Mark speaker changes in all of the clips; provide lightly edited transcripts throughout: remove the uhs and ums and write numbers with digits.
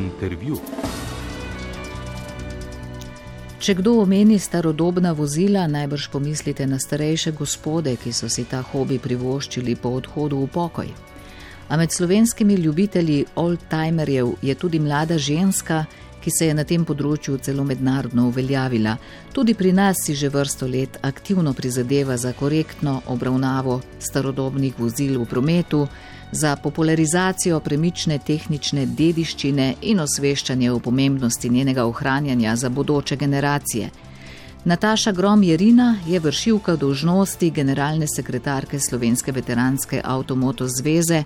Speaker 1: Intervju.
Speaker 2: Če kdo omeni starodobna vozila, najbrž pomislite na starejše gospode, ki so si ta hobi privoščili po odhodu v pokoj. A med slovenskimi ljubitelji oldtimerjev je tudi mlada ženska, ki se je na tem področju celo mednarodno uveljavila. Tudi pri nas si že vrsto let aktivno prizadeva za korektno obravnavo starodobnih vozil v prometu, za popularizacijo premične tehnične dediščine in osveščanje o pomembnosti njenega ohranjanja za bodoče generacije. Nataša Grom-Jerina je vršilka dolžnosti generalne sekretarke Slovenske veteranske avtomoto zveze,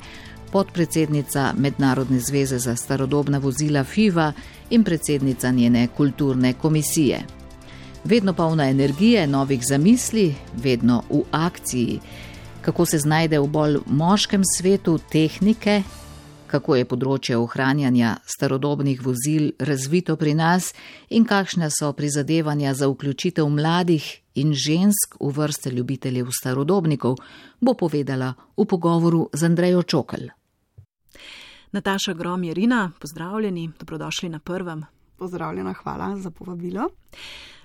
Speaker 2: podpredsednica Mednarodne zveze za starodobna vozila FIVA in predsednica njene kulturne komisije. Vedno polna energije, novih zamisli, vedno v akciji. Kako se znajde v bolj moškem svetu tehnike, kako je področje ohranjanja starodobnih vozil razvito pri nas in kakšna so prizadevanja za vključitev mladih in žensk v vrste ljubiteljev starodobnikov, bo povedala v pogovoru z Andrejo Čokl.
Speaker 3: Nataša Grom-Jerina, pozdravljeni, dobrodošli na Prvem.
Speaker 4: Pozdravljena, hvala za povabilo.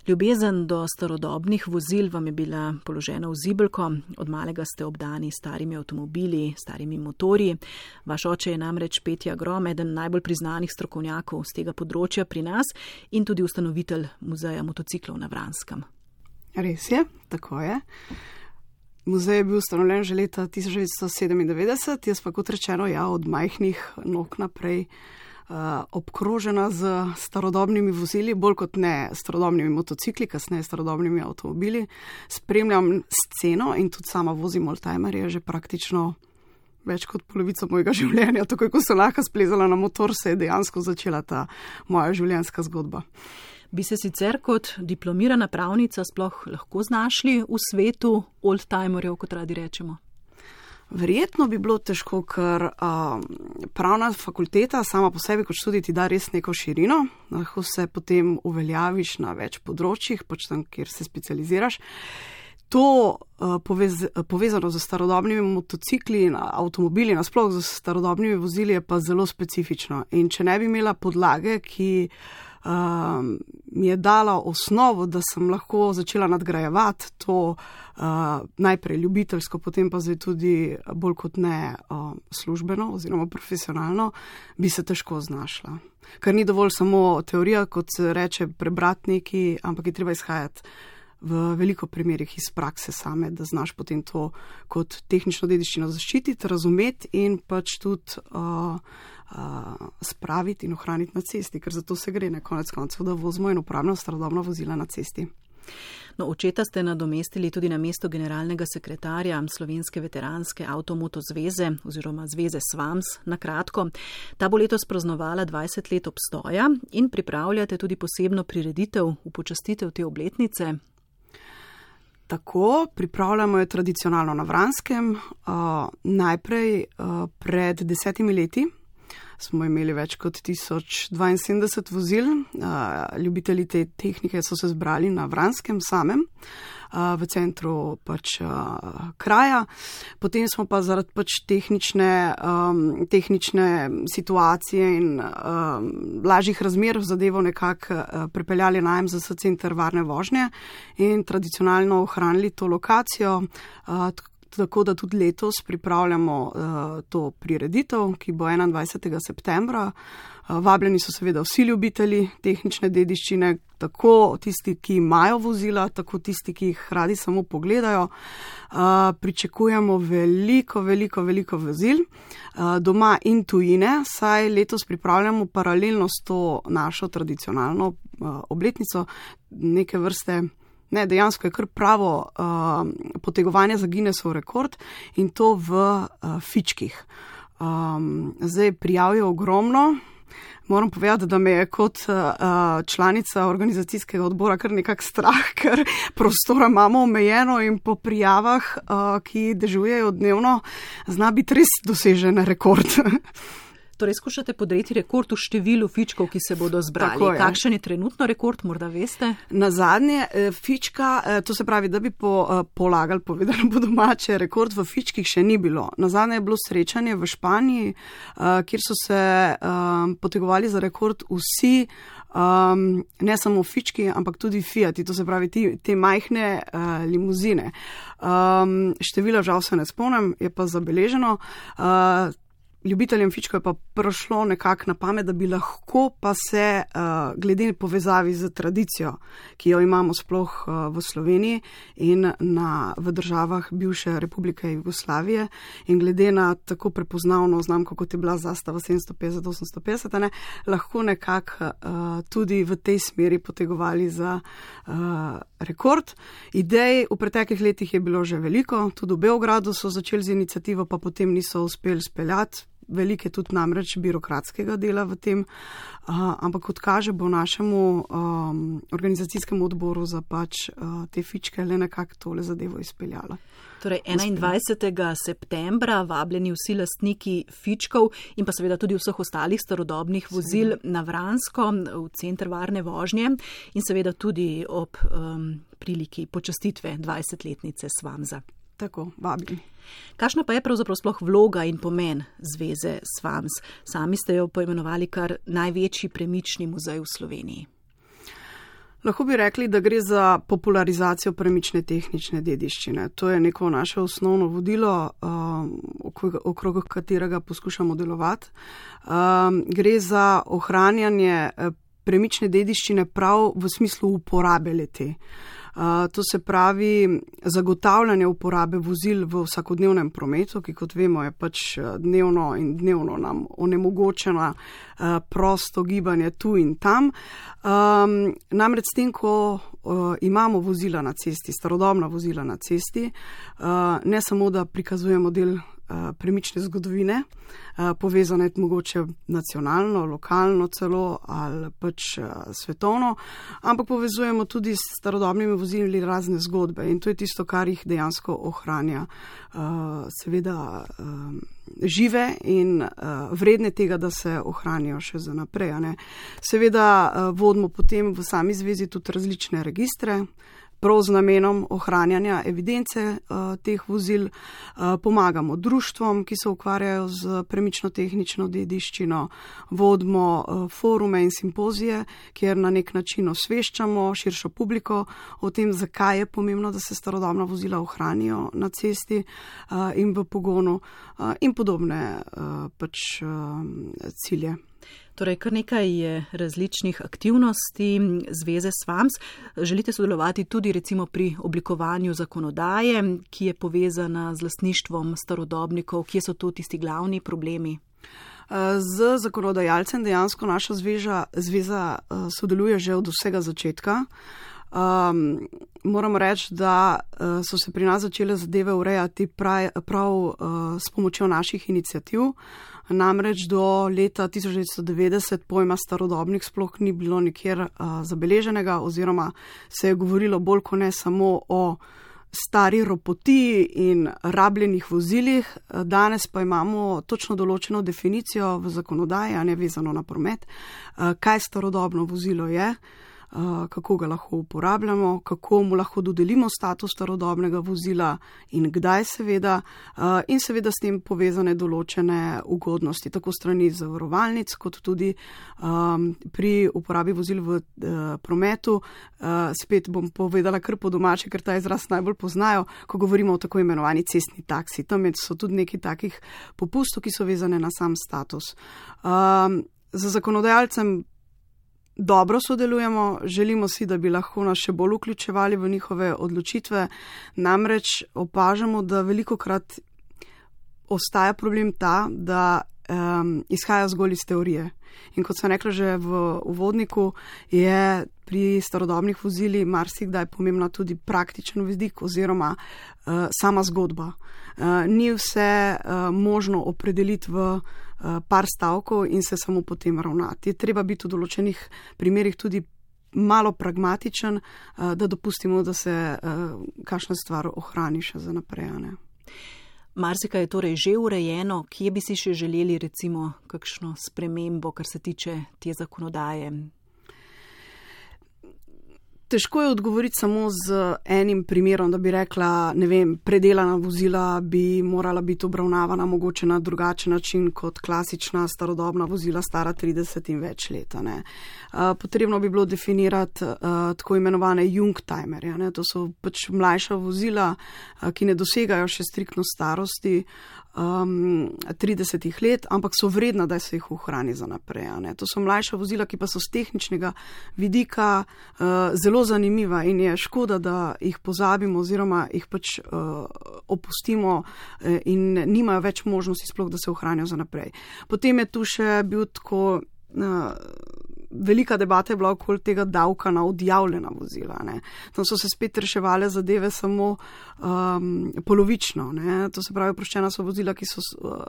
Speaker 3: Ljubezen do starodobnih vozil vam je bila položena v zibelko, od malega ste obdani starimi avtomobili, starimi motorji. Vaš oče je namreč Petja Grom, eden najbolj priznanih strokovnjakov z tega področja pri nas in tudi ustanovitelj muzeja motociklov na Vranskem.
Speaker 4: Res je, tako je. Muzej je bil ustanovljen že leta 1997, jaz pa kot rečeno, od majhnih nog naprej obkrožena z starodobnimi vozili, bolj kot ne starodobnimi motocikli, kasneje starodobnimi avtomobili. Spremljam sceno in tudi sama vozim oldtimerje že praktično več kot polovico mojega življenja. Takoj, ko sem lahko splezala na motor, se je dejansko začela ta moja življenjska zgodba.
Speaker 3: Bi se sicer kot diplomirana pravnica sploh lahko znašli v svetu oldtimerjev, kot radi rečemo?
Speaker 4: Verjetno bi bilo težko, ker pravna fakulteta sama po sebi kot študij ti da res neko širino, lahko se potem uveljaviš na več področjih, pač tam, kjer se specializiraš. To povezano z starodobnimi motocikli in avtomobili, nasploh z starodobnimi vozili, je pa zelo specifično. In če ne bi imela podlage, ki mi je dala osnovo, da sem lahko začela nadgrajevati to najprej ljubiteljsko, potem pa zdaj tudi bolj kot ne službeno oziroma profesionalno, bi se težko znašla. Ker ni dovolj samo teorija, kot se reče, prebrati nekaj, ampak je treba izhajati v veliko primerih iz prakse same, da znaš potem to kot tehnično dediščino zaščititi, razumeti in pač tudi spraviti in ohraniti na cesti, ker zato se gre na konec koncev, da vozimo in uporabljamo starodobna vozila na cesti.
Speaker 3: No, očeta ste nadomestili tudi na mesto generalnega sekretarja Slovenske veteranske avtomoto zveze oziroma zveze SVAMS na kratko. Ta bo letos praznovala 20 let obstoja in pripravljate tudi posebno prireditev v počastitev te obletnice.
Speaker 4: Tako, pripravljamo jo tradicionalno na Vranskem. Najprej pred 10 leti smo imeli več kot 1072 vozil. Ljubitelji te tehnike so se zbrali na Vranskem samem, v centru pač kraja. Potem smo pa zaradi pač tehnične situacije in lažjih razmer zadevo nekako pripeljali na MZS center varne vožnje in tradicionalno ohranili to lokacijo, tako da tudi letos pripravljamo to prireditev, ki bo 21. septembra. Vabljeni so seveda vsi ljubitelji tehnične dediščine, tako tisti, ki imajo vozila, tako tisti, ki jih radi samo pogledajo. Pričakujemo veliko vozil doma in tujine, saj letos pripravljamo paralelno s to našo tradicionalno obletnico neke vrste. Ne, dejansko je kar pravo potegovanje za Guinnessov rekord in to v fičkih. Zdaj prijav je ogromno. Moram povedati, da me je kot članica organizacijskega odbora kar nekak strah, ker prostora imamo omejeno in po prijavah, ki dežujejo dnevno, zna biti res dosežen rekord.
Speaker 3: Torej, skušate podreti rekord v številu fičkov, ki se bodo zbrali.
Speaker 4: Tako je.
Speaker 3: Kakšen je trenutno rekord, morda veste?
Speaker 4: Na zadnje fička, to se pravi, da bi polagali, povedano po domače, rekord v fičkih še ni bilo. Na zadnje je bilo srečanje v Španiji, kjer so se potegovali za rekord vsi, ne samo fički, ampak tudi Fiati, to se pravi te majhne limuzine. Števila žal se ne spomnim, je pa zabeleženo. Ljubiteljem fičkov je pa prišlo nekako na pamet, da bi lahko pa se glede povezavi z tradicijo, ki jo imamo sploh v Sloveniji in v državah bivše Republike Jugoslavije in glede na tako prepoznavno znamko, kot je bila zastava 750-850, lahko nekako tudi v tej smeri potegovali za rekord. Idej v preteklih letih je bilo že veliko, tudi v Beogradu so začeli z iniciativo, pa potem niso uspeli speljati. Veliko je tudi namreč birokratskega dela v tem, ampak kot kaže, bo našemu organizacijskemu odboru za pač te fičke le nekako tole zadevo izpeljala.
Speaker 3: Torej 21. septembra vabljeni vsi lastniki fičkov in pa seveda tudi vseh ostalih starodobnih vozil na Vransko v center varne vožnje in seveda tudi ob priliki počastitve 20-letnice Svamza.
Speaker 4: Tako, vabim.
Speaker 3: Kakšna pa je pravzaprav sploh vloga in pomen zveze Svams? Sami ste jo poimenovali kar največji premični muzej v Sloveniji.
Speaker 4: Lahko bi rekli, da gre za popularizacijo premične tehnične dediščine. To je neko naše osnovno vodilo, okrog katerega poskušamo delovati. Gre za ohranjanje premične dediščine prav v smislu uporabe le-te. To se pravi zagotavljanje uporabe vozil v vsakodnevnem prometu, ki kot vemo je pač dnevno in dnevno nam onemogočeno prosto gibanje tu in tam. Namreč s tem, ko imamo vozila na cesti, starodobna vozila na cesti, ne samo, da prikazujemo del premične zgodovine, povezane mogoče nacionalno, lokalno celo ali pač svetovno, ampak povezujemo tudi s starodobnimi vozili razne zgodbe in to je tisto, kar jih dejansko ohranja seveda žive in vredne tega, da se ohranijo še za naprej. Seveda vodimo potem v sami zvezi tudi različne registre, prav z namenom ohranjanja evidence teh vozil, pomagamo društvom, ki se ukvarjajo z premično-tehnično dediščino, vodimo forume in simpozije, kjer na nek način osveščamo širšo publiko o tem, zakaj je pomembno, da se starodobna vozila ohranijo na cesti in v pogonu in podobne pač cilje.
Speaker 3: Torej, kar nekaj je različnih aktivnosti zveze Svams. Želite sodelovati tudi recimo pri oblikovanju zakonodaje, ki je povezana z lastništvom starodobnikov, kje so tu tisti glavni problemi?
Speaker 4: Z zakonodajalcem dejansko naša zveza sodeluje že od vsega začetka. Moram reči, da so se pri nas začele zadeve urejati prav s pomočjo naših iniciativ. Namreč do leta 1990 pojma starodobnik sploh ni bilo nikjer zabeleženega oziroma se je govorilo bolj kot ne samo o stari ropotiji in rabljenih vozilih. Danes pa imamo točno določeno definicijo v zakonodaji, a ne vezano na promet, kaj starodobno vozilo je, kako ga lahko uporabljamo, kako mu lahko dodelimo status starodobnega vozila in kdaj seveda, in seveda s tem povezane določene ugodnosti, tako strani zavarovalnic, kot tudi pri uporabi vozil v prometu. Spet bom povedala kar po domače, ker ta izraz najbolj poznajo, ko govorimo o tako imenovani cestni taksi. Tam so tudi nekaj takih popustov, ki so vezane na sam status. Za zakonodajalcem dobro sodelujemo, želimo si, da bi lahko nas še bolj vključevali v njihove odločitve, namreč opažamo, da velikokrat ostaja problem ta, da izhaja zgolj iz teorije. In kot sem rekla že v uvodniku, je pri starodobnih vozili marsikdaj pomembna tudi praktičen vidik oziroma sama zgodba. Ni vse možno opredeliti v par stavkov in se samo potem ravnati. Je treba biti v določenih primerih tudi malo pragmatičen, da dopustimo, da se kakšna stvar ohrani še za naprej.
Speaker 3: Marsikaj je torej že urejeno, kje bi si še želeli recimo kakšno spremembo, kar se tiče te zakonodaje?
Speaker 4: Težko je odgovoriti samo z enim primerom, da bi rekla, ne vem, predelana vozila bi morala biti obravnavana mogoče na drugačen način kot klasična starodobna vozila stara 30 in več let. Potrebno bi bilo definirati tako imenovane youngtimerje. To so pač mlajša vozila, ki ne dosegajo še striktno starosti 30 let, ampak so vredna, da se jih ohrani za naprej. To so mlajša vozila, ki pa so z tehničnega vidika zelo zanimiva in je škoda, da jih pozabimo oziroma jih pač opustimo in nimajo več možnosti sploh, da se ohranijo za naprej. Potem je tu še bil tako velika debata je bila okoli tega davka na odjavljena vozila. Tam so se spet reševale zadeve samo polovično. To se pravi, oproščena so vozila, ki so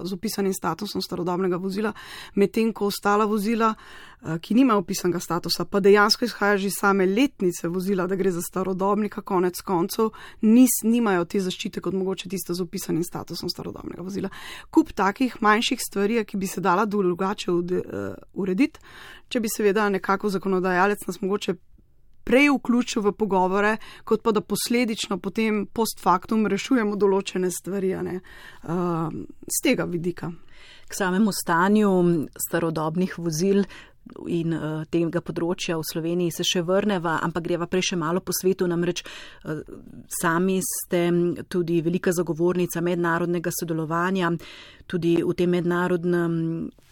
Speaker 4: z opisanim statusom starodobnega vozila, medtem ko ostala vozila, ki nimajo opisanega statusa, pa dejansko izhaja že same letnice vozila, da gre za starodobnika, konec koncev, nimajo te zaščite kot mogoče tiste z opisanim statusom starodobnega vozila. Kup takih manjših stvari, ki bi se dala drugače urediti, če bi seveda nekako zakonodajalec nas mogoče prej vključil v pogovore, kot pa da posledično potem post factum rešujemo določene stvari z tega vidika.
Speaker 3: K samemu stanju starodobnih vozil in tega področja v Sloveniji se še vrneva, ampak greva prej še malo po svetu, namreč sami ste tudi velika zagovornica mednarodnega sodelovanja, tudi v tem mednarodnem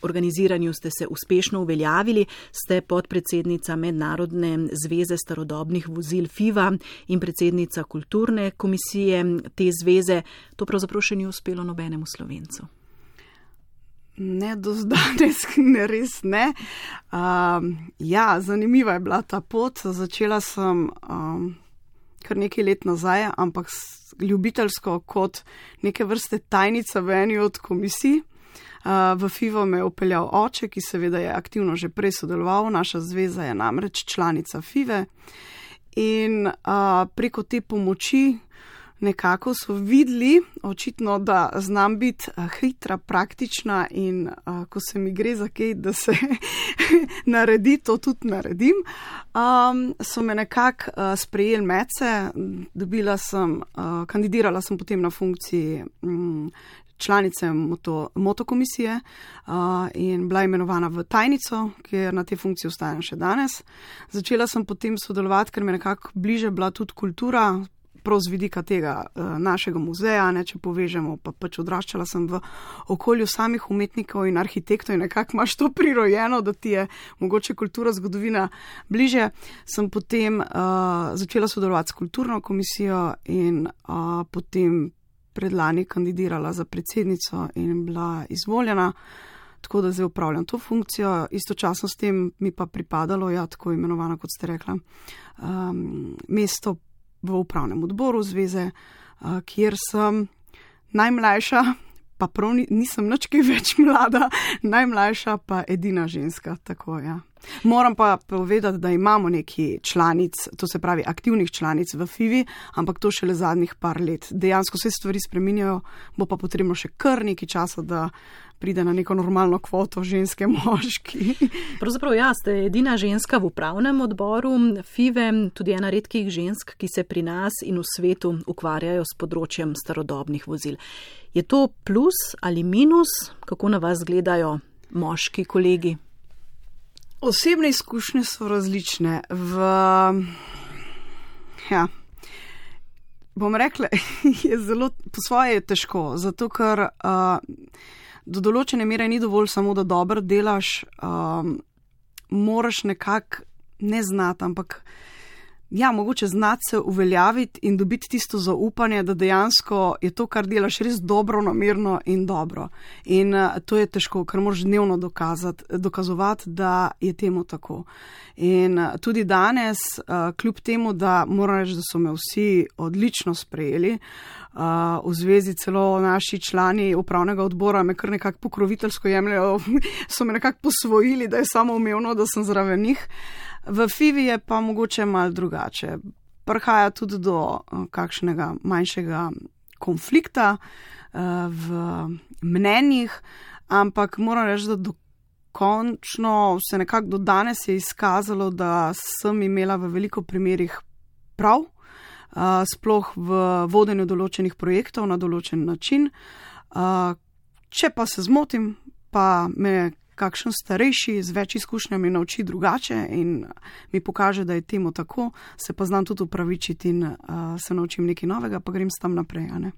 Speaker 3: organiziranju ste se uspešno uveljavili, ste podpredsednica Mednarodne zveze starodobnih vozil FIVA in predsednica kulturne komisije te zveze. To pravzaprav še ni uspelo nobenemu Slovencu.
Speaker 4: Ne, do danes ne, res ne. Zanimiva je bila ta pot. Začela sem kar nekaj let nazaj, ampak ljubiteljsko kot neke vrste tajnica v eni od komisij. V FIVO me je upeljal oče, ki seveda je aktivno že prej sodeloval. Naša zveza je namreč članica FIVE in preko te pomoči nekako so videli, očitno, da znam biti hitra, praktična in ko se mi gre za kaj, da se naredi, to tudi naredim. So me nekako sprejeli medse, kandidirala sem potem na funkciji članice motokomisije in bila imenovana v tajnico, kjer na tej funkciji ostajam še danes. Začela sem potem sodelovati, ker me nekako bliže bila tudi kultura, prav z vidika tega našega muzeja, če povežemo, pa pač odraščala sem v okolju samih umetnikov in arhitektov in nekako imaš to prirojeno, da ti je mogoče kultura, zgodovina bliže. Sem potem začela sodelovati s kulturno komisijo in potem predlani kandidirala za predsednico in bila izvoljena, tako da zdaj upravljam to funkcijo. Istočasno s tem mi pa pripadalo, tako imenovano, kot ste rekla, mesto v upravnem odboru zveze, kjer sem najmlajša, pa prav nisem nič kaj več mlada, najmlajša pa edina ženska, tako ja. Moram pa povedati, da imamo neki članic, to se pravi aktivnih članic v FIVI, ampak to šele zadnjih par let. Dejansko se stvari spreminjajo, bo pa potrebno še kar nekaj časa, da pride na neko normalno kvoto ženske moški.
Speaker 3: Pravzaprav ste edina ženska v upravnem odboru FIVE, tudi ena redkih žensk, ki se pri nas in v svetu ukvarjajo s področjem starodobnih vozil. Je to plus ali minus? Kako na vas gledajo moški kolegi?
Speaker 4: Osebne izkušnje so različne. Bom rekla, je zelo, po svoje je težko, zato ker do določene mere ni dovolj samo, da dobro delaš, moraš nekako ne znati, ampak mogoče znati se uveljaviti in dobiti tisto zaupanje, da dejansko je to, kar delaš, res dobro, namerno in dobro. In to je težko, ker moraš dnevno dokazovati, da je temu tako. In tudi danes, kljub temu, da moram reči, da so me vsi odlično sprejeli, v zvezi celo naši člani upravnega odbora me kar nekako pokroviteljsko jemljajo, so me nekako posvojili, da je samoumevno, da sem zraven njih. V FIVI je pa mogoče malo drugače. Prihaja tudi do kakšnega manjšega konflikta, v mnenjih, ampak moram reči, da dokončno se nekako do danes je izkazalo, da sem imela v veliko primerih prav, sploh v vodenju določenih projektov na določen način. Če pa se zmotim, pa me kakšen starejši z več izkušnjami nauči drugače in mi pokaže, da je temu tako, se pa znam tudi upravičiti in se naučim nekaj novega, pa grem s tam naprej. Ne?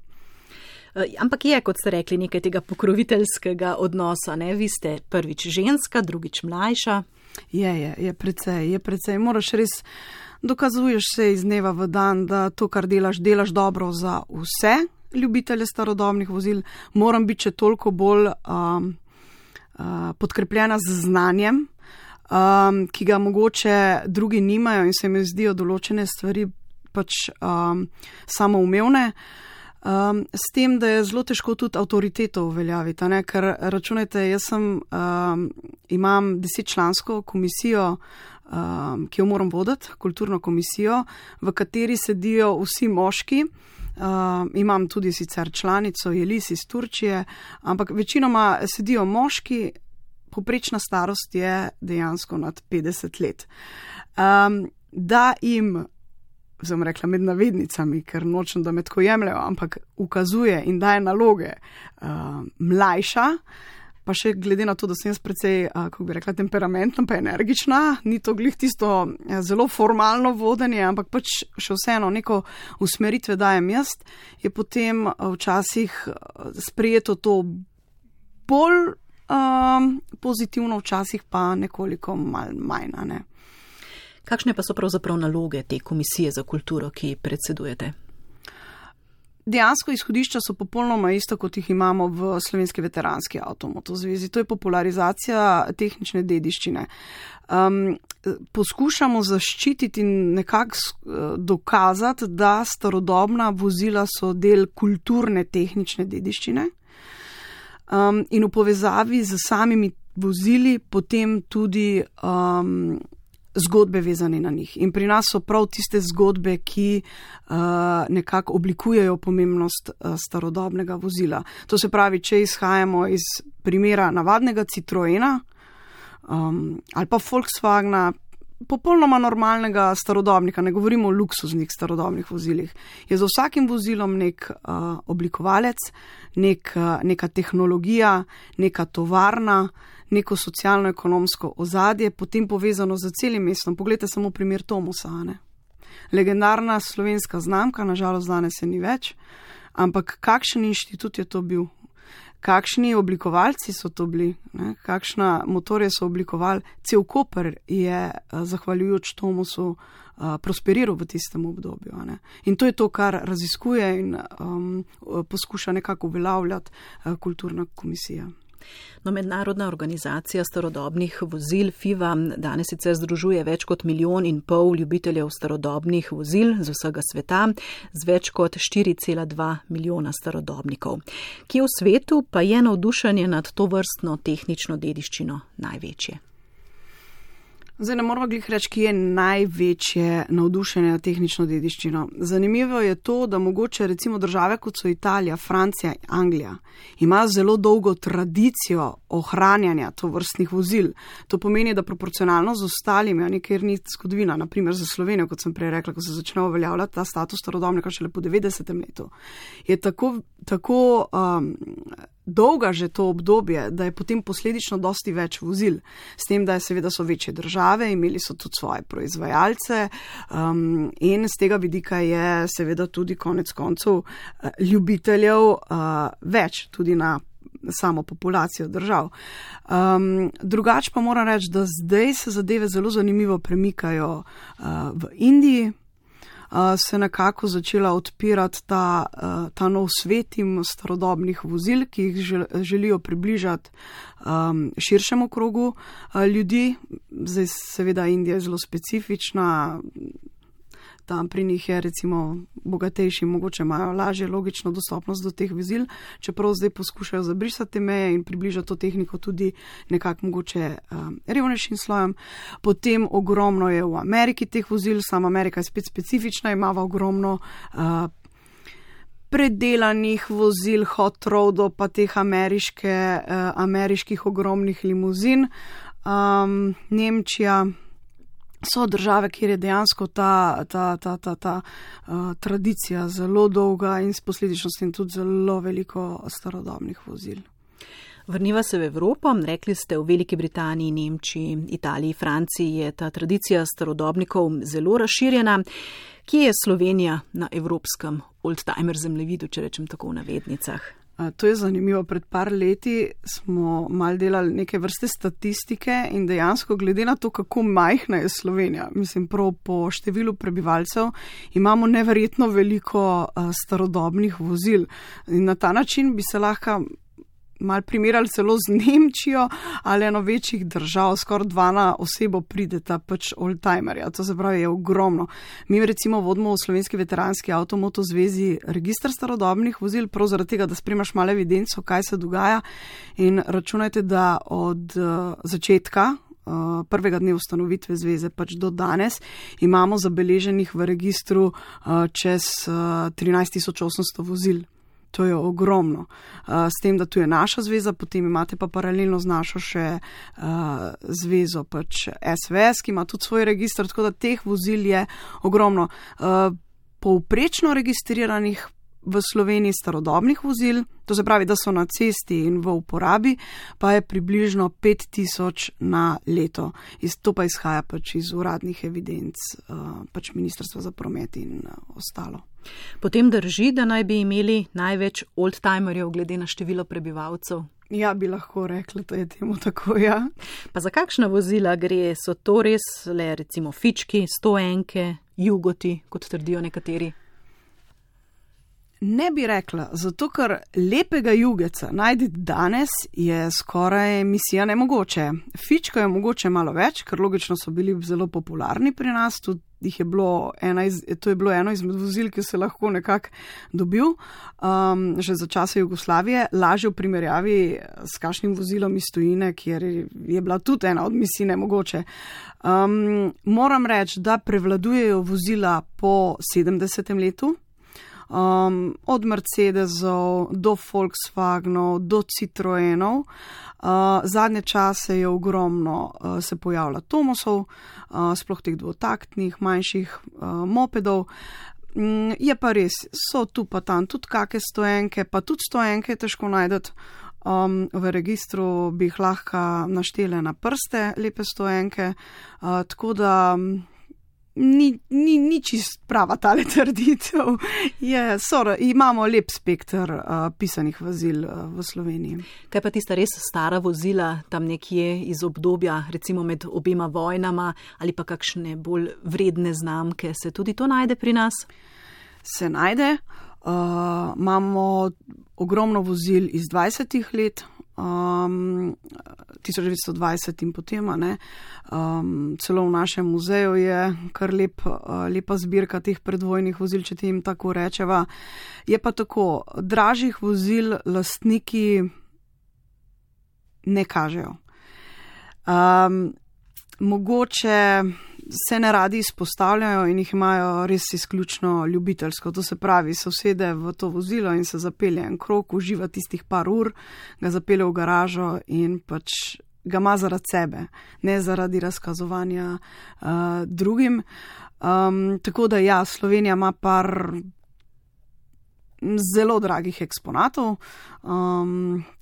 Speaker 3: Ampak je, kot ste rekli, nekaj tega pokroviteljskega odnosa. Ne? Vi ste prvič ženska, drugič mlajša.
Speaker 4: Je precej. Moraš res, dokazuješ se iz dneva v dan, da to, kar delaš dobro za vse ljubitelje starodobnih vozil. Moram biti še toliko bolj podkrepljena z znanjem, ki ga mogoče drugi nimajo in se mi zdijo določene stvari pač samoumevne. S tem, da je zelo težko tudi avtoriteto uveljaviti, ne? Ker računajte, jaz imam 10-člansko komisijo, ki jo moram voditi, kulturno komisijo, v kateri sedijo vsi moški. Imam tudi sicer članico Jelis iz Turčije, ampak večinoma sedijo moški, povprečna starost je dejansko nad 50 let. Da jim, sem rekla med navednicami, ker nočem, da me tako jemljajo, ampak ukazuje in daje naloge mlajša, pa še glede na to, da sem jaz precej, kako bi rekla, temperamentna pa energična, ni to glih tisto zelo formalno vodenje, ampak pač še vseeno neko usmeritve dajem jaz, je potem včasih sprejeto to bolj pozitivno, včasih pa nekoliko manj, ne.
Speaker 3: Kakšne pa so pravzaprav naloge te komisije za kulturo, ki predsedujete?
Speaker 4: Dejansko izhodišča so popolnoma isto, kot jih imamo v Slovenski veteranski avtomoto zvezi. To je popularizacija tehnične dediščine. Poskušamo zaščititi in nekako dokazati, da starodobna vozila so del kulturne tehnične dediščine in v povezavi z samimi vozili potem tudi zgodbe vezane na njih. In pri nas so prav tiste zgodbe, ki nekako oblikujejo pomembnost starodobnega vozila. To se pravi, če izhajamo iz primera navadnega Citroena ali pa Volkswagena, popolnoma normalnega starodobnika, ne govorimo o luksuznih starodobnih vozilih, je za vsakim vozilom nek oblikovalec, neka tehnologija, neka tovarna, neko socialno-ekonomsko ozadje, potem povezano z celim mestom. Poglejte samo primer Tomosa. Ne? Legendarna slovenska znamka, nažalost danes se ni več, ampak kakšen inštitut je to bil? Kakšni oblikovalci so to bili? Ne? Kakšna motorje so oblikovali? Cel Koper je, zahvaljujoč Tomosu, prosperiral v tistem obdobju. Ne? In to je to, kar raziskuje in poskuša nekako uveljavljati kulturna komisija.
Speaker 3: No, Mednarodna organizacija starodobnih vozil FIVA danes sicer združuje več kot 1,5 milijona ljubiteljev starodobnih vozil z vsega sveta, z več kot 4,2 milijona starodobnikov. Kje v svetu pa je navdušenje nad to vrstno tehnično dediščino največje?
Speaker 4: Zdaj ne moramo glih reči, ki je največje navdušenje na tehnično dediščino. Zanimivo je to, da mogoče recimo države, kot so Italija, Francija, Anglija, imajo zelo dolgo tradicijo ohranjanja tovrstnih vozil. To pomeni, da proporcionalno z ostalimi, ker ni zgodovina, naprimer za Slovenijo, kot sem prej rekla, ko se začne uveljavljati ta status starodobnika šele po 90. letu, je tako dolga že to obdobje, da je potem posledično dosti več vozil. S tem, da seveda so večje države, imeli so tudi svoje proizvajalce in z tega vidika je seveda tudi konec koncev ljubiteljev več, tudi na samo populacijo držav. Drugače pa moram reči, da zdaj se zadeve zelo zanimivo premikajo v Indiji. Se nekako začela odpirati ta nov svet in starodobnih vozil, ki jih želijo približati širšemu krogu ljudi. Zdaj seveda Indija je zelo specifična, tam pri njih je recimo bogatejši, mogoče imajo lažje logično dostopnost do teh vozil, čeprav zdaj poskušajo zabrisati te meje in približati to tehniko tudi nekako mogoče revnejšim slojem. Potem ogromno je v Ameriki teh vozil, sama Amerika je spet specifična, imava ogromno predelanih vozil, hot rodov, pa teh ameriških ogromnih limuzin. Nemčija so države, kjer je dejansko ta tradicija zelo dolga in s posledičnostjo tudi zelo veliko starodobnih vozil.
Speaker 3: Vrniva se v Evropo, rekli ste v Veliki Britaniji, Nemčiji, Italiji, Franciji je ta tradicija starodobnikov zelo razširjena. Kje je Slovenija na evropskem oldtimer zemljevidu, če rečem tako v navednicah?
Speaker 4: To je zanimivo. Pred par leti smo mal delali neke vrste statistike in dejansko glede na to, kako majhna je Slovenija, mislim prav po številu prebivalcev, imamo neverjetno veliko starodobnih vozil. In na ta način bi se lahko mal primerjali celo z Nemčijo ali eno večjih držav, skoraj 2 na osebo prideta pač oldtimerja. To se pravi, je ogromno. Mi recimo vodimo v Slovenski veteranski avtomoto zvezi registr starodobnih vozil, prav zaradi tega, da spremaš malo evidenco, kaj se dogaja in računajte, da od začetka prvega dne ustanovitve zveze pač do danes imamo zabeleženih v registru čez 13.800 vozil. To je ogromno. S tem, da tu je naša zveza, potem imate pa paralelno z našo še zvezo pač SVS, ki ima tudi svoj registr, tako da teh vozil je ogromno. Povprečno registriranih v Sloveniji starodobnih vozil, to se pravi, da so na cesti in v uporabi, pa je približno 5000 na leto. To pa izhaja pač iz uradnih evidenc pač Ministrstva za promet in ostalo.
Speaker 3: Potem drži, da naj bi imeli največ oldtimerjev glede na število prebivalcev?
Speaker 4: Ja, bi lahko rekla, da je temu tako, ja.
Speaker 3: Pa za kakšna vozila gre? So to res le recimo fički, 101, jugoti, kot trdijo nekateri?
Speaker 4: Ne bi rekla, zato ker lepega jugeca najti danes je skoraj misija nemogoče. Fička je mogoče malo več, ker logično so bili zelo popularni pri nas, tudi to je bilo eno izmed vozil, ki se lahko nekako dobil že za časa Jugoslavije, lažje v primerjavi s kakšnim vozilom iz tujine, kjer je bila tudi ena od misij nemogoče. Moram reči, da prevladujejo vozila po 70. letu, od Mercedesov do Volkswagenov do Citroenov. Zadnje čase je ogromno se pojavlja Tomosov, sploh teh dvotaktnih, manjših mopedov. Je pa res, so tu pa tam tudi kake 101, pa tudi 101 je težko najdeti. V registru bi jih lahko naštele na prste, lepe 101, tako da ni čist prava tale trditev. Imamo lep spekter pisanih vozil v Sloveniji.
Speaker 3: Kaj pa tista res stara vozila, tam nekje iz obdobja, recimo med obema vojnama, ali pa kakšne bolj vredne znamke, se tudi to najde pri nas?
Speaker 4: Se najde. Imamo ogromno vozil iz 20. let, 1920 in potem, celo v našem muzeju je kar lepa zbirka teh predvojnih vozil, če jim tako rečeva. Je pa tako, dražjih vozil lastniki ne kažejo. Mogoče se ne radi izpostavljajo in jih imajo res izključno ljubiteljsko. To se pravi, se usede v to vozilo in se zapelje en krog, uživa tistih par ur, ga zapelje v garažo in pač ga ima zaradi sebe, ne zaradi razkazovanja drugim. Tako da ja, Slovenija ima par zelo dragih eksponatov,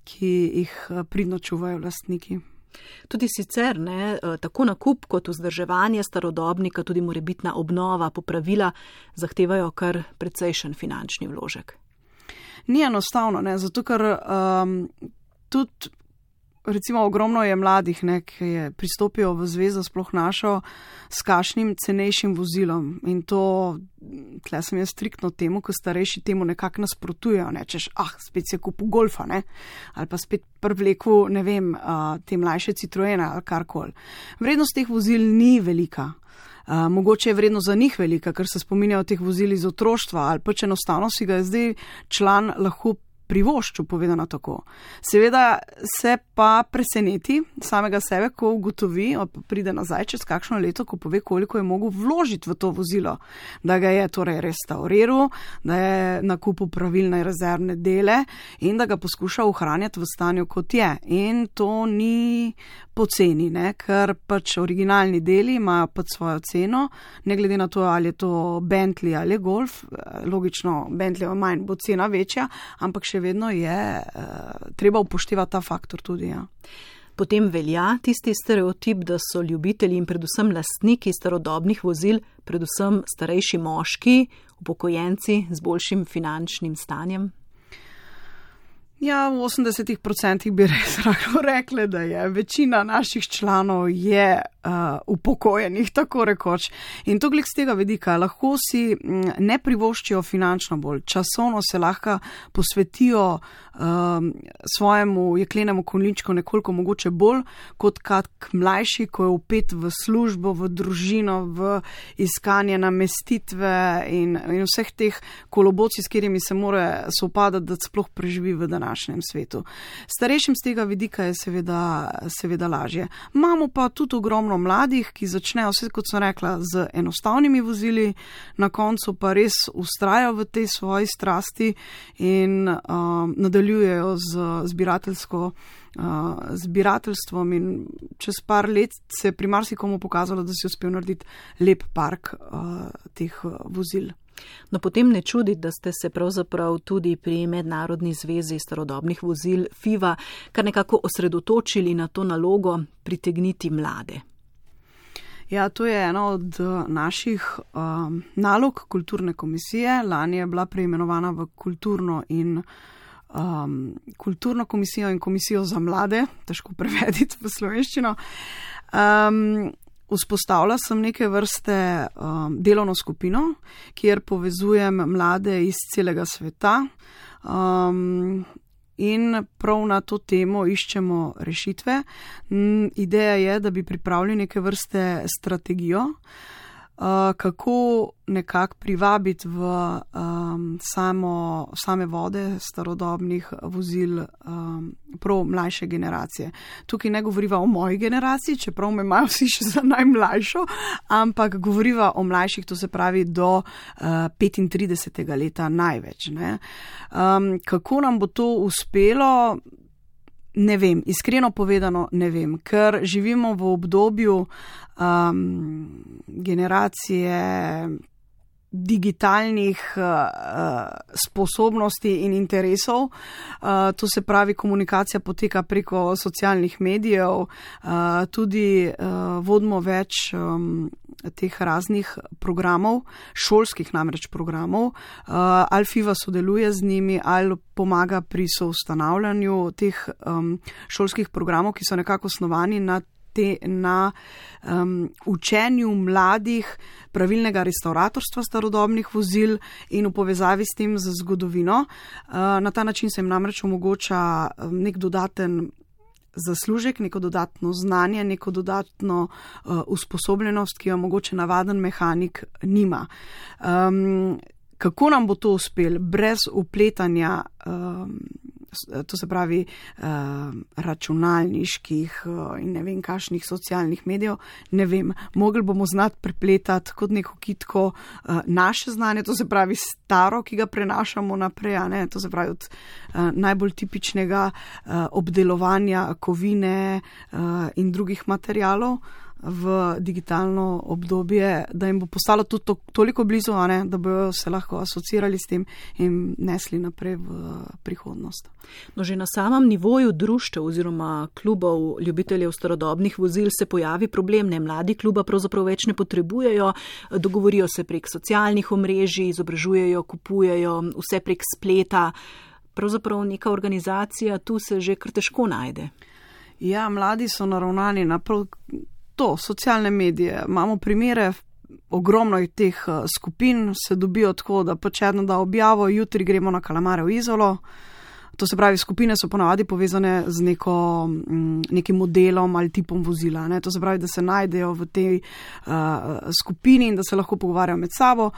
Speaker 4: ki jih pridno čuvajo lastniki.
Speaker 3: Tudi sicer, tako nakup kot vzdrževanje starodobnika, tudi morebitna obnova, popravila zahtevajo kar precejšen finančni vložek.
Speaker 4: Ni enostavno, zato ker tudi recimo ogromno je mladih, ki pristopijo v zvezo, sploh našo, s kakšnim cenejšim vozilom. In to, tle sem jaz striktno temu, ko starejši temu nekako nasprotujejo, češ, spet si je kupil Golfa, ali pa spet privleku, te mlajše Citroena ali karkoli. Vrednost teh vozil ni velika. Mogoče je vrednost za njih velika, ker se spominjajo teh vozil iz otroštva, ali pač enostavno si ga zdaj član lahko privoščil, povedano tako. Seveda se pa preseneti samega sebe, ko ugotovi, pride nazaj čez kakšno leto, ko pove, koliko je mogel vložiti v to vozilo, da ga je torej restauriral, da je nakupil pravilne rezervne dele in da ga poskuša ohranjati v stanju, kot je. In to ni poceni, ker pač originalni deli imajo pač svojo ceno, ne glede na to, ali je to Bentley ali Golf, logično Bentley manj bo cena večja, ampak še vedno je treba upoštevati ta faktor tudi. Ja.
Speaker 3: Potem velja tisti stereotip, da so ljubitelji in predvsem lastniki starodobnih vozil, predvsem starejši moški, upokojenci z boljšim finančnim stanjem?
Speaker 4: Ja, v 80% bi res rekli, da je večina naših članov je upokojenih, tako rekoč. In to glede z tega vidika, lahko si ne privoščijo finančno bolj, časovno se lahko posvetijo svojemu jeklenemu konjičku nekoliko mogoče bolj, kot kak mlajši, ko je vpet v službo, v družino, v iskanje namestitve in vseh teh kolobocij, s katerimi se mora sovpadati, da sploh preživi v današnjem svetu. Starejšim z tega vidika je seveda lažje. Imamo pa tudi ogromno mladih, ki začnejo, vse kot sem rekla, z enostavnimi vozili, na koncu pa res ustrajajo v tej svoji strasti in nadaljujejo z zbirateljstvom in čez par let se je pri marsikomu pokazalo, da si uspel narediti lep park teh vozil.
Speaker 3: No, potem ne čudi, da ste se pravzaprav tudi pri Mednarodni zvezi starodobnih vozil FIVA kar nekako osredotočili na to nalogo pritegniti mlade.
Speaker 4: Ja, to je ena od naših nalog kulturne komisije. Lani je bila preimenovana v kulturno komisijo in komisijo za mlade, težko prevediti v slovenščino. Vzpostavila sem neke vrste delovno skupino, kjer povezujem mlade iz celega sveta in prav na to temo iščemo rešitve. Ideja je, da bi pripravili neke vrste strategijo, kako nekako privabiti v same vode starodobnih vozil prav mlajše generacije. Tukaj ne govoriva o moji generaciji, čeprav me imajo vsi še za najmlajšo, ampak govoriva o mlajših, to se pravi do 35. leta največ. Kako nam bo to uspelo? Ne vem, iskreno povedano ne vem, ker živimo v obdobju generacije digitalnih sposobnosti in interesov. To se pravi, komunikacija poteka preko socialnih medijev, tudi vodimo več teh raznih programov, šolskih namreč programov, ali FIVA sodeluje z njimi, ali pomaga pri soustanavljanju teh šolskih programov, ki so nekako osnovani na učenju mladih pravilnega restauratorstva starodobnih vozil in v povezavi s tem z zgodovino. Na ta način se jim namreč omogoča nek dodaten zaslužek, neko dodatno znanje, neko dodatno usposobljenost, ki jo mogoče navaden mehanik nima. Kako nam bo to uspelo brez upletanja, to se pravi računalniških in ne vem kakšnih socialnih medijev, ne vem. Mogli bomo znati prepletati kot neko kitko naše znanje, to se pravi staro, ki ga prenašamo naprej, to se pravi od najbolj tipičnega obdelovanja kovine in drugih materialov v digitalno obdobje, da jim bo postalo tudi toliko blizu, da bojo se lahko asocirali s tem in nesli naprej v prihodnost.
Speaker 3: No, že na samem nivoju društev oziroma klubov ljubiteljev starodobnih vozil se pojavi problem, mladi kluba pravzaprav več ne potrebujejo, dogovorijo se prek socialnih omrežij, izobražujejo, kupujejo, vse prek spleta. Pravzaprav neka organizacija tu se že kar težko najde.
Speaker 4: Ja, mladi so naravnani na to, socialne medije. Imamo primere, ogromno teh skupin se dobijo tako, da pač eno da objavo, jutri gremo na kalamare v Izolo. To se pravi, skupine so ponavadi povezane z nekim modelom ali tipom vozila. To se pravi, da se najdejo v tej skupini in da se lahko pogovarjajo med sabo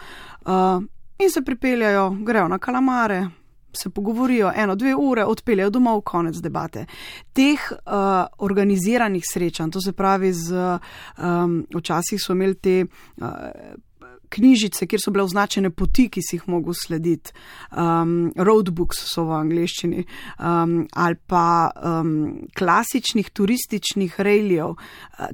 Speaker 4: in se pripeljajo, grejo na kalamare, se pogovorijo 1-2 ure, odpeljejo domov, konec debate. Teh organiziranih srečanj, to se pravi včasih so imeli te knjižice, kjer so bile označene poti, ki si jih mogel slediti, roadbooks so v angleščini, ali pa klasičnih turističnih rejljev,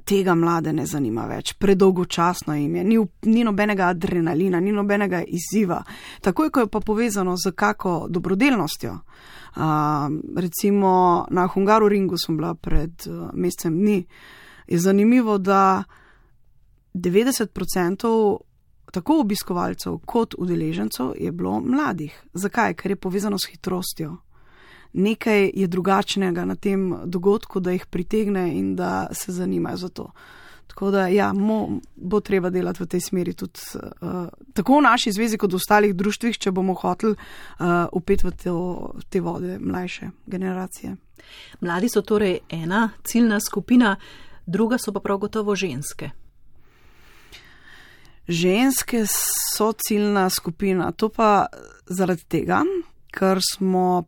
Speaker 4: tega mlade ne zanima več, predolgočasno jim je, ni nobenega adrenalina, ni nobenega izziva. Takoj, ko je pa povezano z kako dobrodelnostjo, recimo na Hungaroringu sem bila pred mesecem dni, je zanimivo, da 90% tako obiskovalcev kot udeležencev je bilo mladih. Zakaj? Ker je povezano s hitrostjo. Nekaj je drugačnega na tem dogodku, da jih pritegne in da se zanimajo za to. Tako da bo treba delati v tej smeri tudi tako v naši zvezi kot v ostalih društvih, če bomo hoteli upeti v te vode mlajše generacije.
Speaker 3: Mladi so torej ena ciljna skupina, druga so pa prav gotovo ženske.
Speaker 4: Ženske so ciljna skupina, to pa zaradi tega, ker smo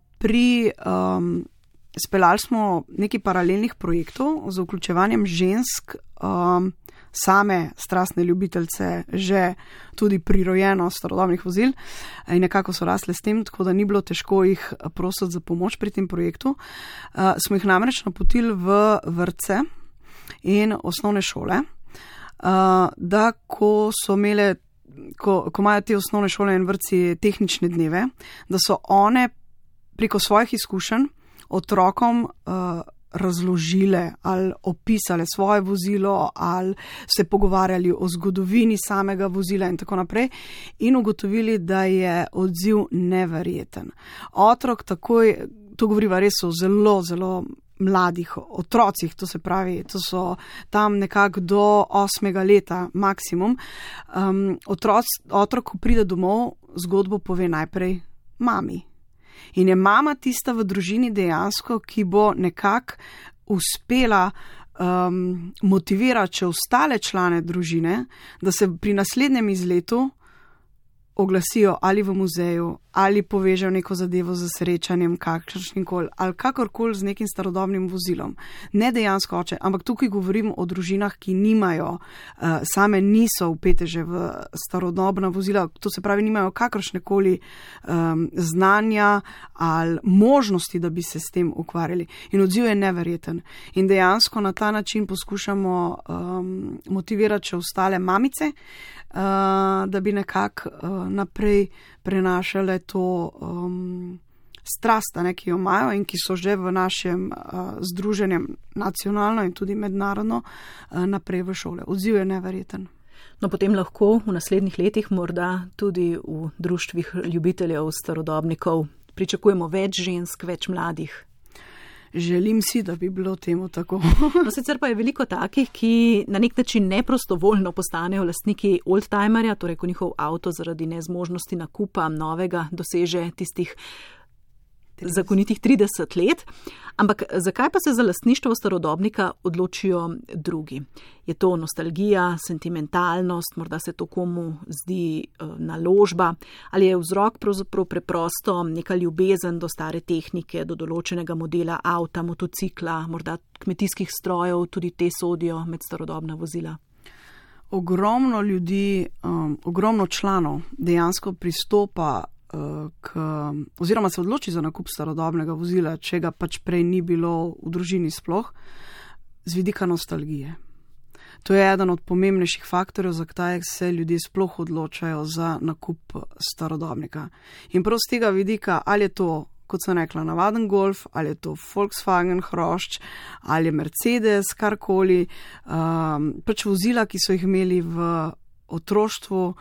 Speaker 4: speljali smo nekaj paralelnih projektov z vključevanjem žensk, same strastne ljubiteljce, že tudi prirojeno starodobnih vozil in nekako so rasle s tem, tako da ni bilo težko jih prositi za pomoč pri tem projektu. Smo jih namreč napotili v vrtce in osnovne šole, da ko imajo te osnovne šole in vrtci tehnične dneve, da so one preko svojih izkušenj otrokom razložile ali opisale svoje vozilo ali se pogovarjali o zgodovini samega vozila in tako naprej in ugotovili, da je odziv neverjeten. Otrok takoj, to govoriva res o zelo, zelo mladih otrocih, to se pravi, to so tam nekako do 8. leta maksimum. Otrok, ko pride domov, zgodbo pove najprej mami. In je mama tista v družini dejansko, ki bo nekako uspela motivirati še ostale člane družine, da se pri naslednjem izletu oglasijo ali v muzeju, ali povežejo neko zadevo z srečanjem kakršnikoli, ali kakorkoli z nekim starodobnim vozilom. Ne dejansko oče, ampak tukaj govorim o družinah, ki nimajo, same niso vpete že v starodobna vozila, to se pravi, nimajo kakršnekoli znanja ali možnosti, da bi se s tem ukvarjali. In odziv je neverjeten. In dejansko na ta način poskušamo motivirati še ostale mamice, da bi nekako naprej prenašale to strast, ki jo imajo in ki so že v našem združenju nacionalno in tudi mednarodno naprej v šole. Odziv je neverjeten.
Speaker 3: No, potem lahko v naslednjih letih morda tudi v društvih ljubiteljev starodobnikov pričakujemo več žensk, več mladih.
Speaker 4: Želim si, da bi bilo temu tako.
Speaker 3: No, sicer pa je veliko takih, ki na nek način neprostovoljno postanejo lastniki oldtimerja, torej ko njihov avto zaradi nezmožnosti nakupa novega doseže tistih zakonitih 30 let. Ampak zakaj pa se za lastništvo starodobnika odločijo drugi? Je to nostalgija, sentimentalnost, morda se to komu zdi naložba, ali je vzrok pravzaprav preprosto neka ljubezen do stare tehnike, do določenega modela avta, motocikla, morda kmetijskih strojev, tudi te sodijo med starodobna vozila?
Speaker 4: Ogromno ljudi, ogromno članov dejansko pristopa oziroma se odloči za nakup starodobnega vozila, če ga pač prej ni bilo v družini sploh, z vidika nostalgije. To je eden od pomembnejših faktorjev, zakaj se ljudje sploh odločajo za nakup starodobnika. In prav z tega vidika, ali je to, kot sem rekla, navaden Golf, ali je to Volkswagen hrošč, ali je Mercedes, karkoli, pač vozila, ki so jih imeli v otroštvu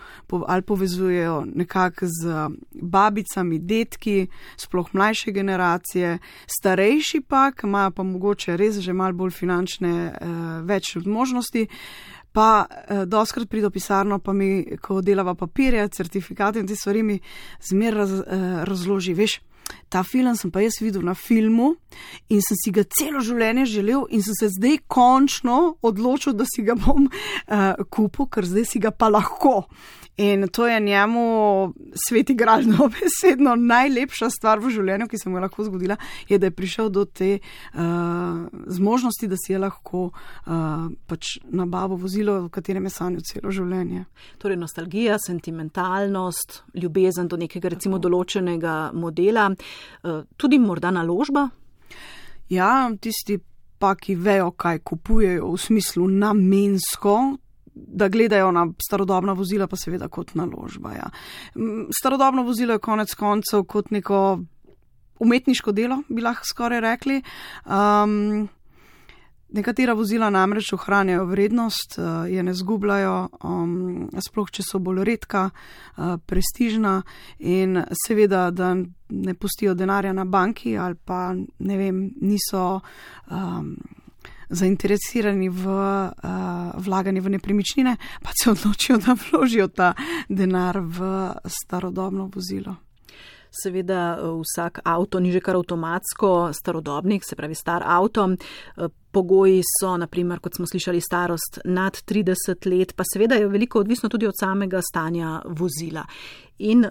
Speaker 4: ali povezujejo nekako z babicami, detki, sploh mlajše generacije, starejši pa, ki imajo pa mogoče res že malo bolj finančne več možnosti, pa doskrat pride v pisarno, pa mi, ko delava papirje, certifikate in te stvari, mi zmeraj razloži, veš, ta film sem pa jaz videl na filmu in sem si ga celo življenje želel in sem se zdaj končno odločil, da si ga bom kupil, ker zdaj si ga pa lahko. In to je njemu sveti gral, dobesedno najlepša stvar v življenju, ki se mu je lahko zgodila, je, da je prišel do te zmožnosti, da si je lahko pač nabavil vozilo, v katerem je sanjal celo življenje.
Speaker 3: Torej nostalgija, sentimentalnost, ljubezen do nekega recimo določenega modela, tudi morda naložba?
Speaker 4: Ja, tisti pa, ki vejo, kaj kupujejo v smislu namensko, da gledajo na starodobna vozila, pa seveda kot naložba. Ja. Starodobno vozilo je konec koncev kot neko umetniško delo, bi lahko skoraj rekli. Nekatera vozila namreč ohranjajo vrednost, je ne zgubljajo, sploh če so bolj redka, prestižna in seveda, da ne pustijo denarja na banki ali pa, ne vem, niso zainteresirani v vlaganje v nepremičnine, pa se odločijo, da vložijo ta denar v starodobno vozilo.
Speaker 3: Seveda vsak avto ni že kar avtomatsko starodobnik, se pravi star avto. Pogoji so, naprimer, kot smo slišali, starost nad 30 let, pa seveda je veliko odvisno tudi od samega stanja vozila. In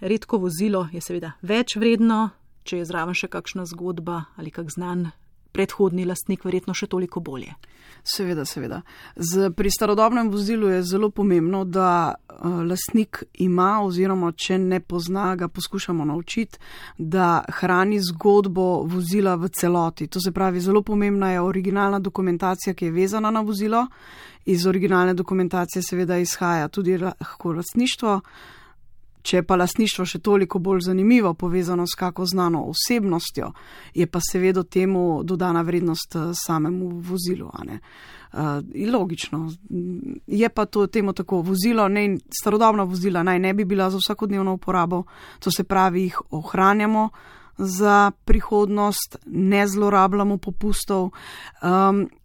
Speaker 3: redko vozilo je seveda več vredno, če je zraven še kakšna zgodba ali kak znan predhodni lastnik, verjetno še toliko bolje.
Speaker 4: Seveda. Pri starodobnem vozilu je zelo pomembno, da lastnik ima oziroma če ne pozna, ga poskušamo naučiti, da hrani zgodbo vozila v celoti. To se pravi, zelo pomembna je originalna dokumentacija, ki je vezana na vozilo. Iz originalne dokumentacije seveda izhaja tudi lahko lastništvo. Če je pa lastništvo še toliko bolj zanimivo, povezano s kako znano osebnostjo, je pa seveda temu dodana vrednost samemu vozilu. Logično. Je pa to temu tako vozilo, starodobna vozila naj ne bi bila za vsakodnevno uporabo, to se pravi, jih ohranjamo za prihodnost, ne zlorabljamo popustov,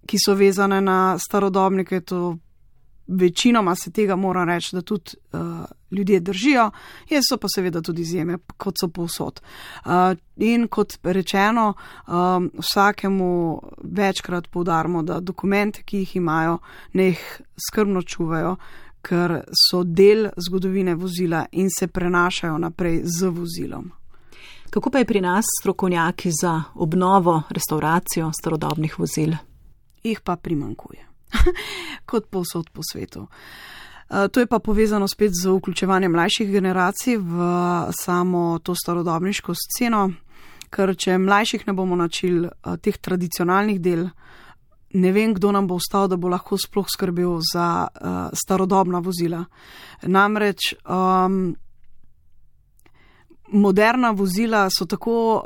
Speaker 4: ki so vezane na starodobnike, to večinoma se tega mora reči, da tudi ljudje držijo, so pa seveda tudi izjeme, kot so povsod. In kot rečeno, vsakemu večkrat poudarimo, da dokumente, ki jih imajo, ne jih skrbno čuvajo, ker so del zgodovine vozila in se prenašajo naprej z vozilom.
Speaker 3: Kako pa je pri nas strokovnjaki za obnovo, restauracijo starodobnih vozil?
Speaker 4: Jih pa primanjkuje. Kot povsod po svetu. To je pa povezano spet z vključevanjem mlajših generacij v samo to starodobniško sceno, ker če mlajših ne bomo načili teh tradicionalnih del, ne vem, kdo nam bo ostal, da bo lahko sploh skrbel za starodobna vozila. Namreč moderna vozila so tako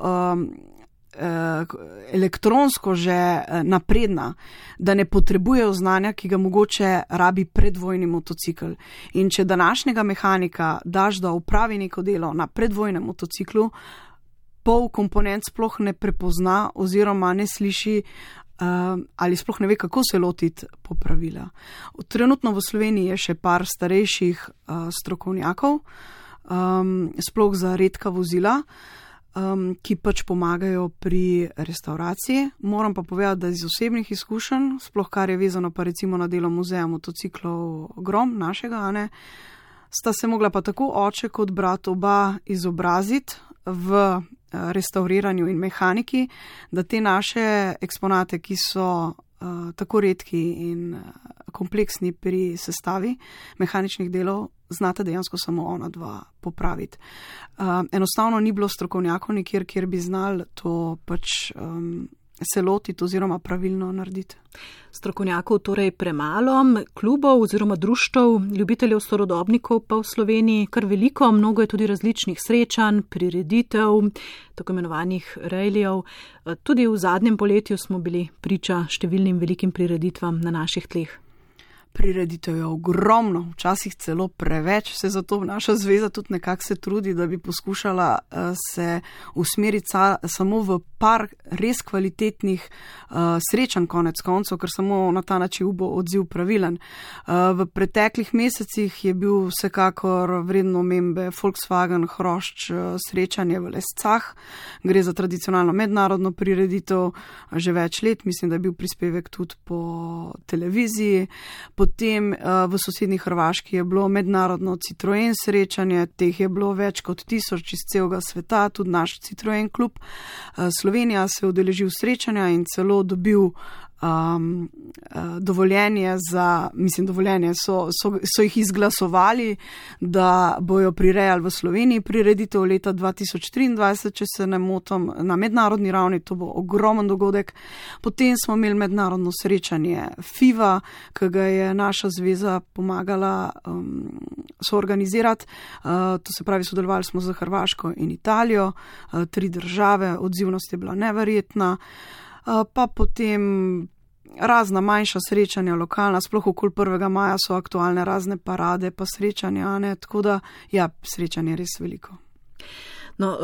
Speaker 4: elektronsko že napredna, da ne potrebujejo znanja, ki ga mogoče rabi predvojni motocikl. In če današnjega mehanika daš, da opravi neko delo na predvojnem motociklu, pol komponent sploh ne prepozna oziroma ne sliši ali sploh ne ve, kako se lotiti popravila. Trenutno v Sloveniji je še par starejših strokovnjakov, sploh za redka vozila, ki pač pomagajo pri restauraciji. Moram pa povedati, da iz osebnih izkušenj, sploh kar je vezano pa recimo na delo muzeja motociklov Grom našega, sta se mogla pa tako oče kot brat oba izobraziti v restauriranju in mehaniki, da te naše eksponate, ki so tako redki in kompleksni pri sestavi mehaničnih delov, znate dejansko samo ona dva popraviti. Enostavno ni bilo strokovnjakov nikjer, kjer bi znali to pač se lotiti oziroma pravilno narediti.
Speaker 3: Strokovnjakov torej premalo, klubov oziroma društev ljubiteljev starodobnikov pa v Sloveniji kar veliko, mnogo je tudi različnih srečanj, prireditev, tako imenovanih rejlijev. Tudi v zadnjem poletju smo bili priča številnim velikim prireditvam na naših tleh.
Speaker 4: prireditev je ogromno, včasih celo preveč, se zato naša zveza tudi nekako se trudi, da bi poskušala se usmeriti samo v par res kvalitetnih srečanj konec koncev, ker samo na ta način bo odziv pravilen. V preteklih mesecih je bil vsekakor vredno omembe Volkswagen Hrošč srečanje v Lescah. Gre za tradicionalno mednarodno prireditev že več let, mislim, da je bil prispevek tudi po televiziji. Potem v sosednji Hrvaški je bilo mednarodno Citroen srečanje, teh je bilo več kot 1000 iz celega sveta, tudi naš Citroen klub. Slovenija se je udeležil srečanja in celo dobil dovoljenje so jih izglasovali, da bojo prirejali v Sloveniji prireditev leta 2023, če se ne motim, na mednarodni ravni, to bo ogromen dogodek. Potem smo imeli mednarodno srečanje FIVA, ki ga je naša zveza pomagala soorganizirati, to se pravi, sodelovali smo z Hrvaško in Italijo, 3 države, odzivnost je bila neverjetna. Pa potem razna manjša srečanja, lokalna, sploh okoli 1. maja so aktualne razne parade pa srečanja, ne? Tako da, ja, srečanje je res veliko.
Speaker 3: No,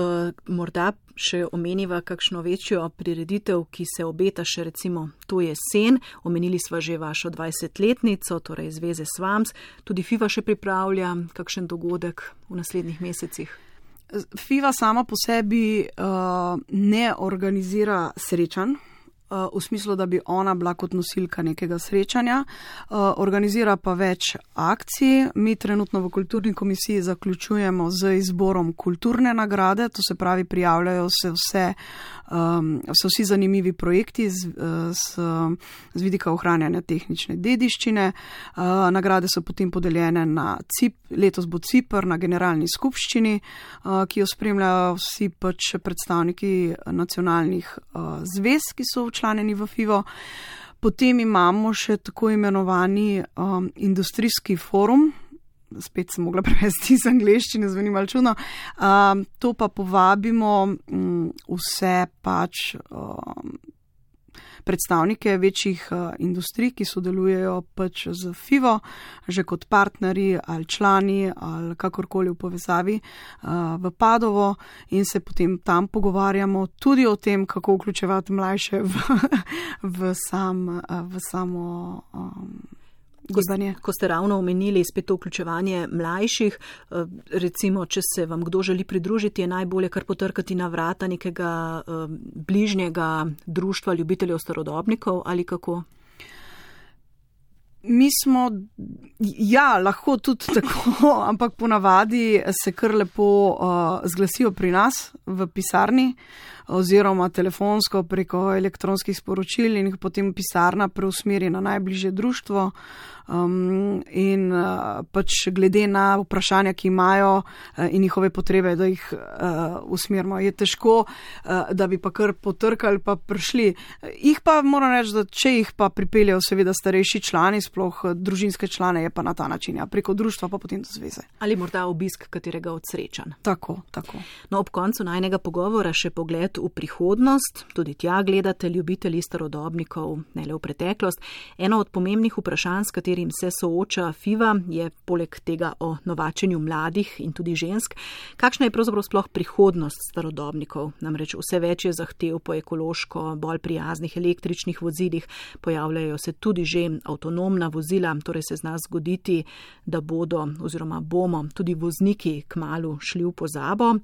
Speaker 3: morda še omeniva kakšno večjo prireditev, ki se obeta še recimo to jesen. Omenili sva že vašo 20-letnico, torej Zveze Svams. Tudi FIVA še pripravlja kakšen dogodek v naslednjih mesecih.
Speaker 4: FIVA sama po sebi ne organizira srečanj, v smislu, da bi ona bila kot nosilka nekega srečanja, organizira pa več akcij. Mi trenutno v kulturni komisiji zaključujemo z izborom kulturne nagrade, to se pravi, prijavljajo se vsi zanimivi projekti z vidika ohranjanja tehnične dediščine. Nagrade so potem podeljene na letos bo Cipr na generalni skupščini, ki jo spremljajo vsi pač predstavniki nacionalnih zvez, ki so včlanjeni v FIVO. Potem imamo še tako imenovani industrijski forum, spet sem mogla prevesti iz angleščine, zveni malo čudno. To pa povabimo vse pač predstavnike večjih industrij, ki sodelujejo pač z FIVO, že kot partnerji ali člani ali kakorkoli v povezavi v Padovo, in se potem tam pogovarjamo tudi o tem, kako vključevati mlajše v samo gibanje.
Speaker 3: Ko ste ravno omenili spet to vključevanje mlajših, recimo, če se vam kdo želi pridružiti, je najbolje kar potrkati na vrata nekega bližnjega društva ljubiteljev starodobnikov ali kako?
Speaker 4: Mi smo, ja, lahko tudi tako, ampak ponavadi se kar lepo zglasijo pri nas v pisarni oziroma telefonsko preko elektronskih sporočil in jih potem pisarna preusmeri na najbližje društvo. In pač glede na vprašanja, ki imajo in njihove potrebe, da jih usmerimo. Je težko, da bi pa kar potrkali pa prišli. Jih pa moram reči, da če jih pa pripeljajo seveda starejši člani, sploh družinske člane, je pa na ta način, ja, preko društva pa potem do zveze.
Speaker 3: Ali morda obisk katerega od srečanj.
Speaker 4: Tako.
Speaker 3: No, ob koncu najnega pogovora še pogled v prihodnost. Tudi tja gledate ljubitelji starodobnikov, ne le v preteklost. Eno od pomembnih vprašanj, s katerim se sooča FIVA, je poleg tega o novačenju mladih in tudi žensk. Kakšna je pravzaprav sploh prihodnost starodobnikov? Namreč vse več je zahtev po ekološko, bolj prijaznih električnih vozilih, pojavljajo se tudi že avtonomna vozila, torej se zna zgoditi, da bodo oziroma bomo tudi vozniki kmalu šli v pozabo.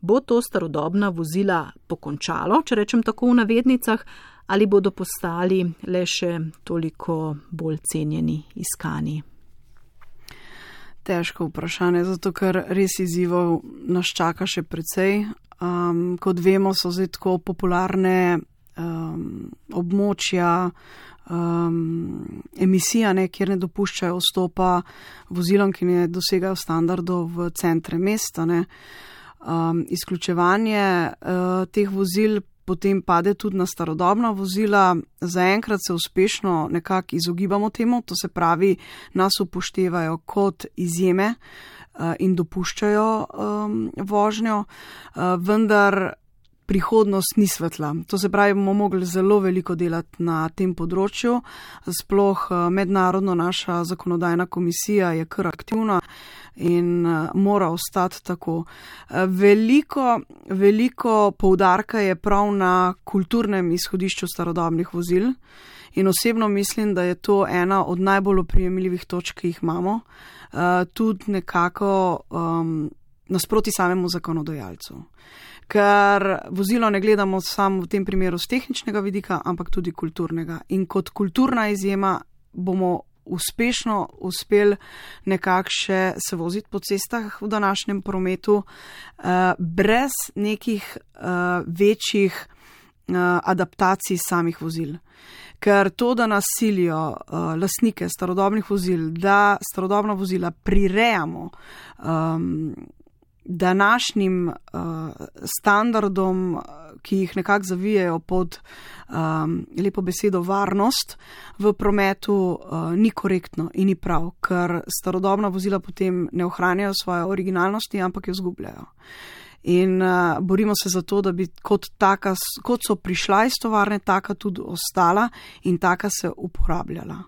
Speaker 3: Bo to starodobna vozila pokončalo, če rečem tako v navednicah, ali bodo postali le še toliko bolj cenjeni, iskani?
Speaker 4: Težko vprašanje, zato ker res izzivov nas čaka še precej. Kot vemo, so zdaj tako popularne območja emisija, kjer ne dopuščajo vstopa vozilom, ki ne dosegajo standardov v centre mesta. Izključevanje teh vozil potem pade tudi na starodobna vozila. Zaenkrat se uspešno nekako izogibamo temu, to se pravi, nas upoštevajo kot izjeme in dopuščajo vožnjo, vendar prihodnost ni svetla. To se pravi, bomo mogli zelo veliko delati na tem področju. Sploh mednarodno naša zakonodajna komisija je kar aktivna in mora ostati tako. Veliko poudarka je prav na kulturnem izhodišču starodobnih vozil in osebno mislim, da je to ena od najbolj oprijemljivih točk, ki jih imamo, tudi nekako nasproti samemu zakonodajalcu. Ker vozilo ne gledamo samo v tem primeru z tehničnega vidika, ampak tudi kulturnega. In kot kulturna izjema bomo uspešno uspeli nekako še se voziti po cestah v današnjem prometu, brez nekih večjih adaptacij samih vozil. Ker to, da nas silijo lastnike starodobnih vozil, da starodobna vozila prirejamo današnjim standardom, ki jih nekako zavijajo pod lepo besedo varnost v prometu, ni korektno in ni prav, ker starodobna vozila potem ne ohranjajo svoje originalnosti, ampak jo izgubljajo. In borimo se za to, da bi kot so prišla iz tovarne, taka tudi ostala in taka se uporabljala.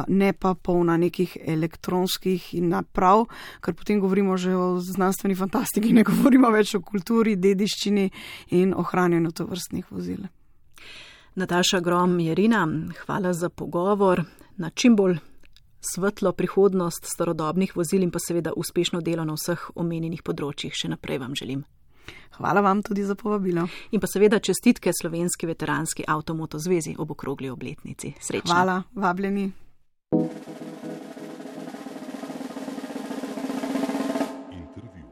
Speaker 4: Ne pa polna nekih elektronskih naprav, ker potem govorimo že o znanstveni fantastiki, ne govorimo več o kulturi, dediščini in ohranjanju tovrstnih vozil.
Speaker 3: Nataša Grom Jerina, hvala za pogovor. Na čim bolj svetlo prihodnost starodobnih vozil in pa seveda uspešno delo na vseh omenjenih področjih še naprej vam želim.
Speaker 4: Hvala vam tudi za povabilo.
Speaker 3: In pa seveda čestitke Slovenski veteranski avtomoto zvezi ob okrogli obletnici. Srečno.
Speaker 4: Hvala, vabljeni.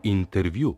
Speaker 1: Intervju.